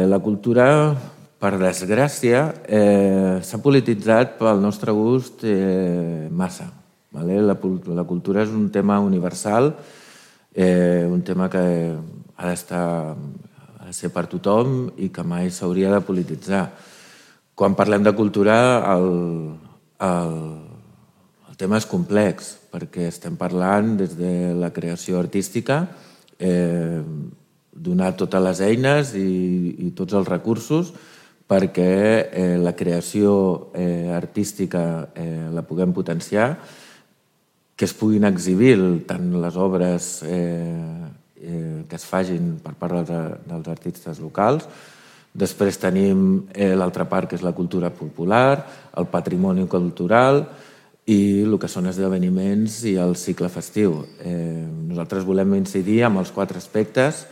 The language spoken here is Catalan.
La cultura, per desgràcia, s'ha polititzat pel nostre gust massa. La cultura és un tema universal, un tema que ha de ser per tothom i que mai s'hauria de polititzar. Quan parlem de cultura, el tema és complex, perquè estem parlant des de la creació artística, donar totes les eines i tots els recursos perquè la creació artística la puguem potenciar, que es puguin exhibir tant les obres que es facin per part dels artistes locals. Després tenim l'altra part, que és la cultura popular, el patrimoni cultural i el que són esdeveniments i el cicle festiu. Nosaltres volem incidir en els 4 aspectes